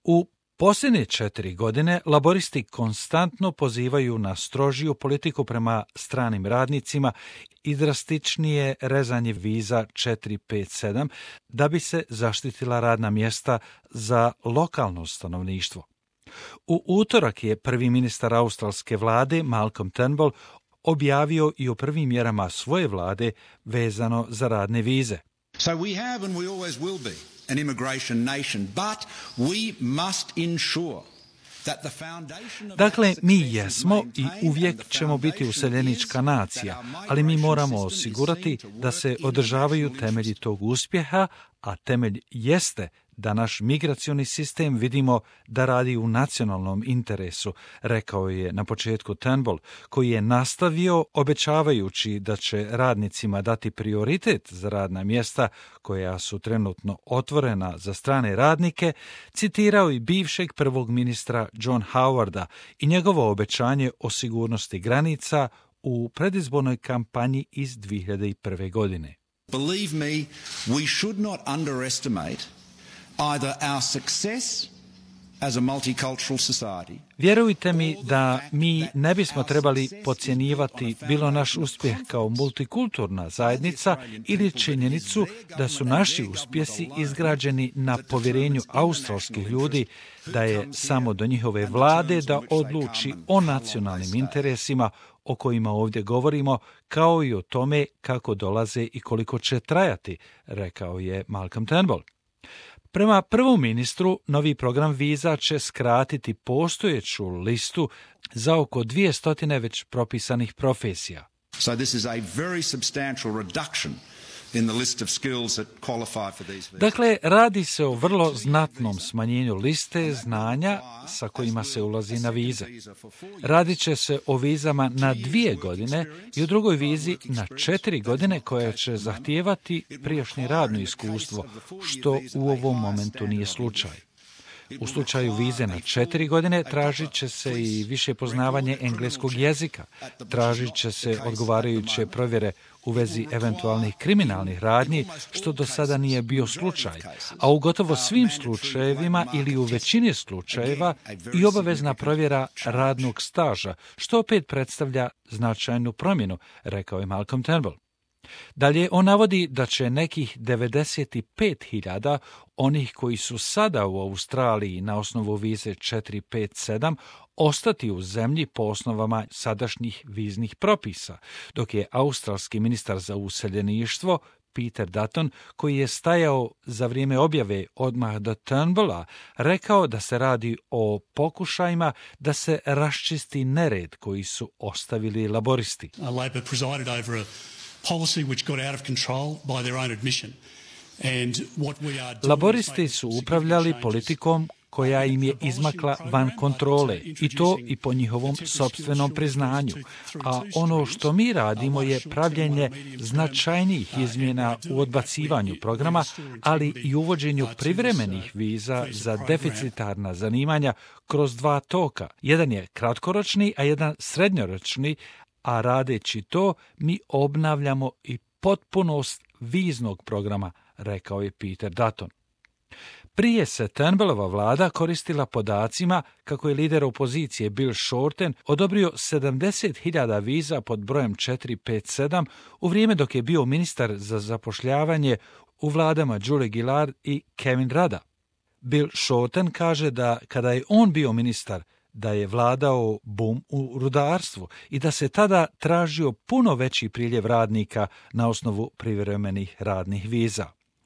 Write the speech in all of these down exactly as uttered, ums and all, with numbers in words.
U posljednje četiri godine laboristi konstantno pozivaju na strožiju politiku prema stranim radnicima i drastičnije rezanje viza četiri pet sedam da bi se zaštitila radna mjesta za lokalno stanovništvo. U utorak je prvi ministar australske vlade Malcolm Turnbull objavio i o prvim mjerama svoje vlade vezano za radne vize. So we have and we always will be an immigration nation, but we must ensure that the foundation of Dakle, mi jesmo i uvijek ćemo biti useljenička nacija, ali mi moramo osigurati da se održavaju temelji tog uspjeha, a temelj jeste da naš migracioni sistem vidimo da radi u nacionalnom interesu, rekao je na početku Turnbull, koji je nastavio obećavajući da će radnicima dati prioritet za radna mjesta koja su trenutno otvorena za strane radnike, citirao i bivšeg prvog ministra John Howarda i njegovo obećanje o sigurnosti granica u predizbornoj kampanji iz dvije hiljade prve. godine. Believe me, we should not underestimate either our success as a multicultural society. Vjerujte mi da mi ne bismo trebali podcjenjivati bilo naš uspjeh kao multikulturna zajednica ili činjenicu da su naši uspjesi izgrađeni na povjerenju australskih ljudi, da je samo do njihove vlade da odluči o nacionalnim interesima o kojima ovdje govorimo, kao i o tome kako dolaze i koliko će trajati, rekao je Malcolm Turnbull. Prema prvom ministru, novi program viza će skratiti postojeću listu za oko dvjesto već propisanih profesija. So this is a very substantial reduction in the list of skills that qualify for these visas. Dakle, radi se o vrlo znatnom smanjenju liste znanja sa kojima se ulazi na vize. Radit će se o vizama na dvije godine i u drugoj vizi na četiri godine koja će zahtijevati prijašnje radno iskustvo, što u ovom momentu nije slučaj. U slučaju vize na četiri godine tražit će se i više poznavanje engleskog jezika, tražit će se odgovarajuće provjere u vezi eventualnih kriminalnih radnji, što do sada nije bio slučaj, a u gotovo svim slučajevima ili u većini slučajeva i obavezna provjera radnog staža, što opet predstavlja značajnu promjenu, rekao je Malcolm Turnbull. Dalje, on navodi da će nekih devedeset pet hiljada onih koji su sada u Australiji na osnovu vize četiri pet sedam ostati u zemlji po osnovama sadašnjih viznih propisa, dok je australski ministar za useljeništvo Peter Dutton, koji je stajao za vrijeme objave odmah do Turnbulla, rekao da se radi o pokušajima da se raščisti nered koji su ostavili laboristi. Labor presided over a policy which got out of control by their own admission. And what we are doing Laboristi su upravljali politikom koja im je izmakla van kontrole, i to i po njihovom sopstvenom priznanju. A ono što mi radimo je pravljenje značajnijih izmjena u odbacivanju programa, ali i uvođenju privremenih viza za deficitarna zanimanja kroz dva toka. Jedan je kratkoročni, a jedan srednjoročni, a radeći to mi obnavljamo i potpunost viznog programa, rekao je Peter Dutton. Prije se Turnbullova vlada koristila podacima kako je lider opozicije Bill Shorten odobrio sedamdeset hiljada viza pod brojem četiri pet sedam u vrijeme dok je bio ministar za zapošljavanje u vladama Julie Gillard i Kevin Rudda. Bill Shorten kaže da kada je on bio ministar, da je vladao bum u rudarstvu i da se tada tražio puno veći priljev radnika na osnovu privremenih radnih viza.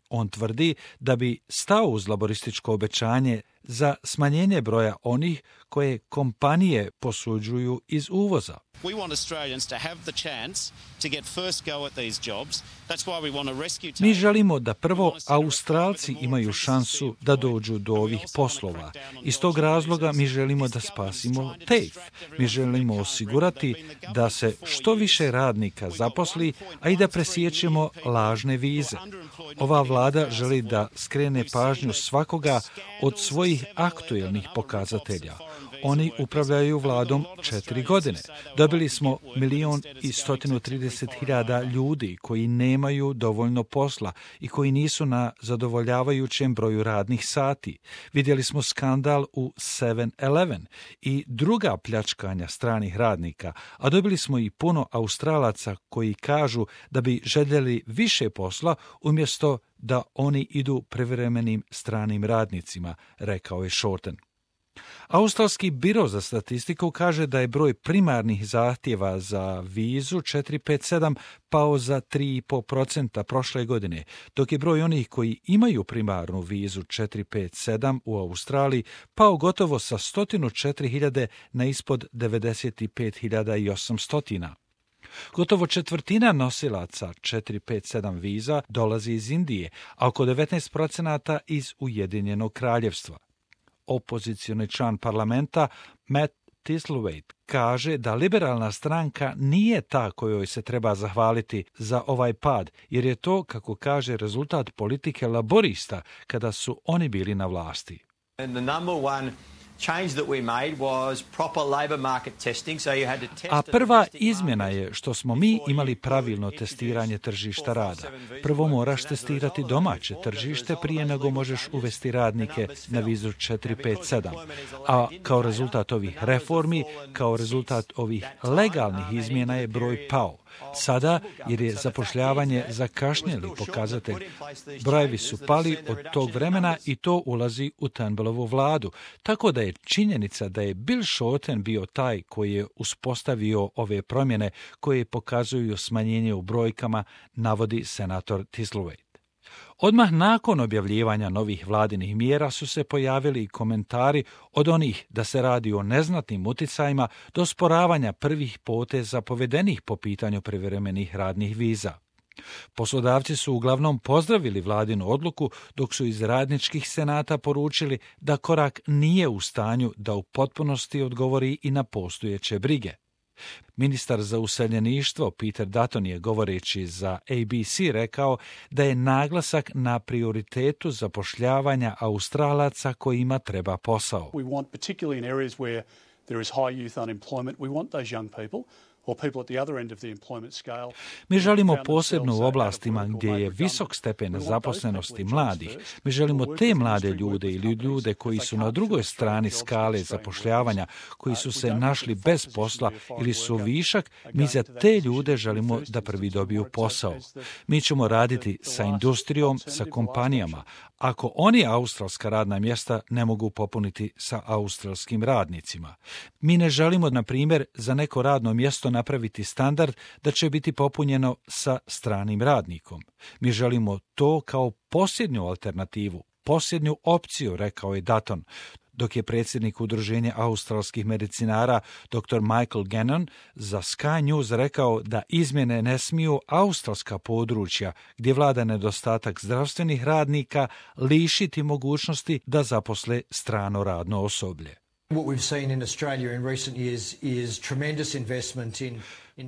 On tvrdi da bi stao uz laborističko obećanje za smanjenje broja onih koje kompanije posuđuju iz uvoza. We want Australians to have the chance to get first go at these jobs. That's why we want to rescue. Mi želimo da prvo Australci imaju šansu da dođu do ovih poslova. Iz tog razloga mi želimo da spasimo TAFE. Mi želimo osigurati da se što više radnika zaposli, a i da presiječemo lažne vize. Ova vlada vlada želi da skrene pažnju svakoga od svojih aktuelnih pokazatelja. Oni upravljaju vladom četiri godine. Dobili smo milion i stotinu trideset hiljada ljudi koji nemaju dovoljno posla i koji nisu na zadovoljavajućem broju radnih sati. Vidjeli smo skandal u seven eleven i druga pljačkanja stranih radnika, a dobili smo i puno Australaca koji kažu da bi željeli više posla umjesto da oni idu privremenim stranim radnicima, rekao je Shorten. Australski biro za statistiku kaže da je broj primarnih zahtjeva za vizu četiri pet sedam pao za tri i pet posto prošle godine, dok je broj onih koji imaju primarnu vizu četiri pet sedam u Australiji pao gotovo sa sto četiri hiljade na ispod devedeset pet hiljada osamsto. Gotovo četvrtina nosilaca četiri pet sedam viza dolazi iz Indije, a oko devetnaest posto iz Ujedinjenog kraljevstva. Opozicioni član parlamenta Matt Thistlethwaite kaže da liberalna stranka nije ta kojoj se treba zahvaliti za ovaj pad, jer je to, kako kaže, rezultat politike laborista kada su oni bili na vlasti. A prva izmjena je što smo mi imali pravilno testiranje tržišta rada. Prvo moraš testirati domaće tržište prije nego možeš uvesti radnike na vizu četiri pet sedam. A kao rezultat ovih reformi, kao rezultat ovih legalnih izmjena je broj pao. Sada, jer je zapošljavanje zakašnjeli pokazatelj, brojevi su pali od tog vremena i to ulazi u Turnbullovu vladu, tako da je činjenica da je Bill Shorten bio taj koji je uspostavio ove promjene koje pokazuju smanjenje u brojkama, navodi senator Thistlethwaite. Odmah nakon objavljivanja novih vladinih mjera su se pojavili i komentari od onih da se radi o neznatnim uticajima do sporavanja prvih poteza povedenih po pitanju privremenih radnih viza. Poslodavci su uglavnom pozdravili vladinu odluku, dok su iz radničkih senata poručili da korak nije u stanju da u potpunosti odgovori i na postojeće brige. Ministar za useljeništvo Peter Dutton je, govoreći za A B C, rekao da je naglasak na prioritetu zapošljavanja Australaca kojima treba posao. We want, particularly in areas where there is high youth unemployment, we want those young people or people at the other end of the employment scale. Mi želimo posebno u oblastima gdje je visok stepen zaposlenosti mladih. Mi želimo te mlade ljude ili ljude koji su na drugoj strani skale zapošljavanja, koji su se našli bez posla ili su višak, mi za te ljude želimo da prvi dobiju posao. Mi ćemo raditi sa industrijom, sa kompanijama, ako oni australska radna mjesta ne mogu popuniti sa australskim radnicima. Mi ne želimo, na primjer, za neko radno mjesto napraviti standard da će biti popunjeno sa stranim radnikom. Mi želimo to kao posljednju alternativu, posljednju opciju, rekao je Dutton, dok je predsjednik Udruženja australskih medicinara doktor Michael Gannon za Sky News rekao da izmjene ne smiju australska područja gdje vlada nedostatak zdravstvenih radnika lišiti mogućnosti da zaposle strano radno osoblje. What we've seen in Australia in recent years is tremendous investment in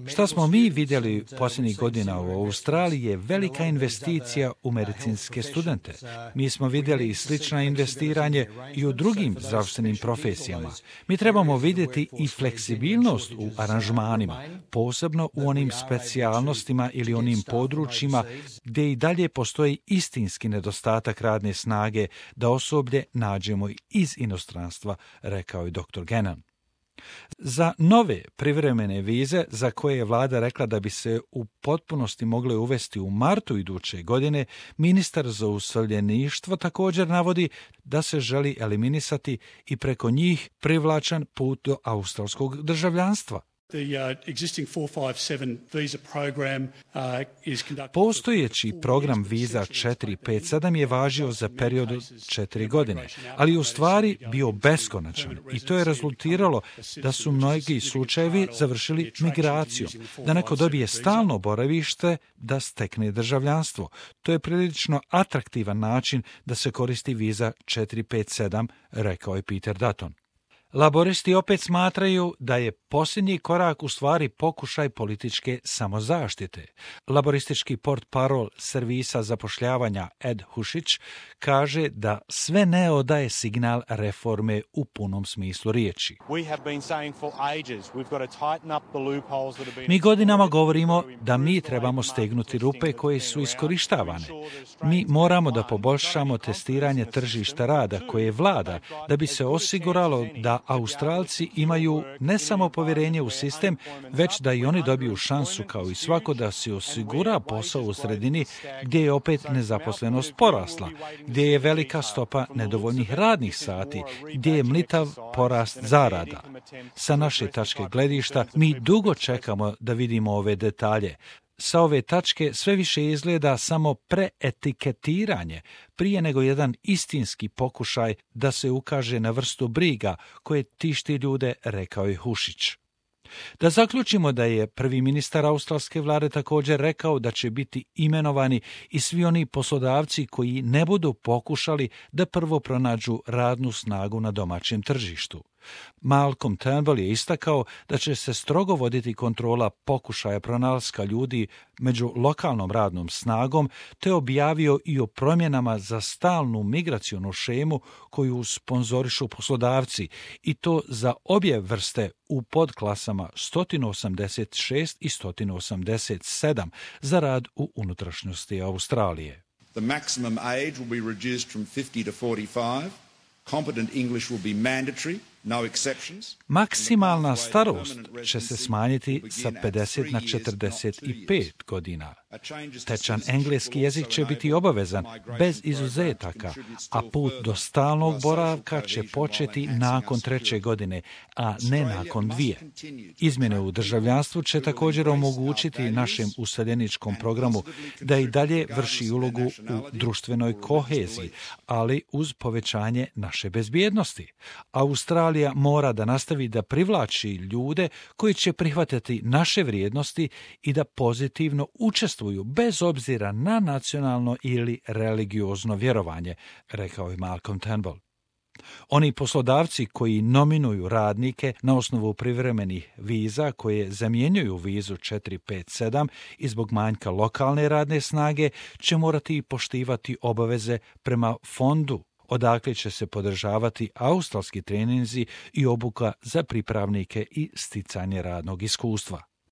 Šta smo mi vidjeli posljednjih godina u Australiji je velika investicija u medicinske studente. Mi smo vidjeli i slična investiranje i u drugim zdravstvenim profesijama. Mi trebamo vidjeti i fleksibilnost u aranžmanima, posebno u onim specijalnostima ili onim područjima gdje i dalje postoji istinski nedostatak radne snage da osoblje nađemo iz inostranstva, rekao je doktor Gannon. Za nove privremene vize, za koje je vlada rekla da bi se u potpunosti mogle uvesti u martu iduće godine, ministar za useljeništvo također navodi da se želi eliminisati i preko njih privlačan put do australskog državljanstva. Postojeći program viza četiri pet sedam je važio za period od četiri godine, ali u stvari bio beskonačan i to je rezultiralo da su mnogi slučajevi završili migracijom, da neko dobije stalno boravište, da stekne državljanstvo. To je prilično atraktivan način da se koristi viza četiri pet sedam, rekao je Peter Dutton. Laboristi opet smatraju da je posljednji korak u stvari pokušaj političke samozaštite. Laboristički portparol servisa zapošljavanja Ed Hušić kaže da sve ne odaje signal reforme u punom smislu riječi. Mi godinama govorimo da mi trebamo stegnuti rupe koje su iskorištavane. Mi moramo da poboljšamo testiranje tržišta rada koje vlada da bi se osiguralo da Australci imaju ne samo povjerenje u sistem, već da i oni dobiju šansu kao i svako da se osigura posao u sredini gdje je opet nezaposlenost porasla, gdje je velika stopa nedovoljnih radnih sati, gdje je mlitav porast zarada. Sa naše tačke gledišta mi dugo čekamo da vidimo ove detalje. Sa ove tačke sve više izgleda samo preetiketiranje prije nego jedan istinski pokušaj da se ukaže na vrstu briga koje tišti ljude, rekao je Hušić. Da zaključimo da je prvi ministar australske vlade također rekao da će biti imenovani i svi oni poslodavci koji ne budu pokušali da prvo pronađu radnu snagu na domaćem tržištu. Malcolm Turnbull je istakao da će se strogo voditi kontrola pokušaja pronalaska ljudi među lokalnom radnom snagom, te objavio i o promjenama za stalnu migracionu šemu koju sponzorišu poslodavci, i to za obje vrste u podklasama sto osamdeset šest i sto osamdeset sedam za rad u unutrašnjosti Australije. The maximum age will be reduced from fifty to forty-five. Competent English will be mandatory. No exceptions. Maksimalna starost će se smanjiti sa pedeset na četrdeset pet godina. Tečan engleski jezik će biti obavezan, bez izuzetaka, a put do stalnog boravka će početi nakon treće godine, a ne nakon dvije. Izmjene u državljanstvu će također omogućiti našem useljeničkom programu da i dalje vrši ulogu u društvenoj koheziji, ali uz povećanje naše bezbjednosti. Australija mora da nastavi da privlači ljude koji će prihvatiti naše vrijednosti i da pozitivno učestvuju bez obzira na nacionalno ili religiozno vjerovanje, rekao je Malcolm Turnbull. Oni poslodavci koji nominuju radnike na osnovu privremenih viza koje zamjenjuju vizu četiri pet sedam i zbog manjka lokalne radne snage će morati poštivati obaveze prema fondu, odakle će se podržavati australski treninzi i obuka za pripravnike i sticanje radnog iskustva.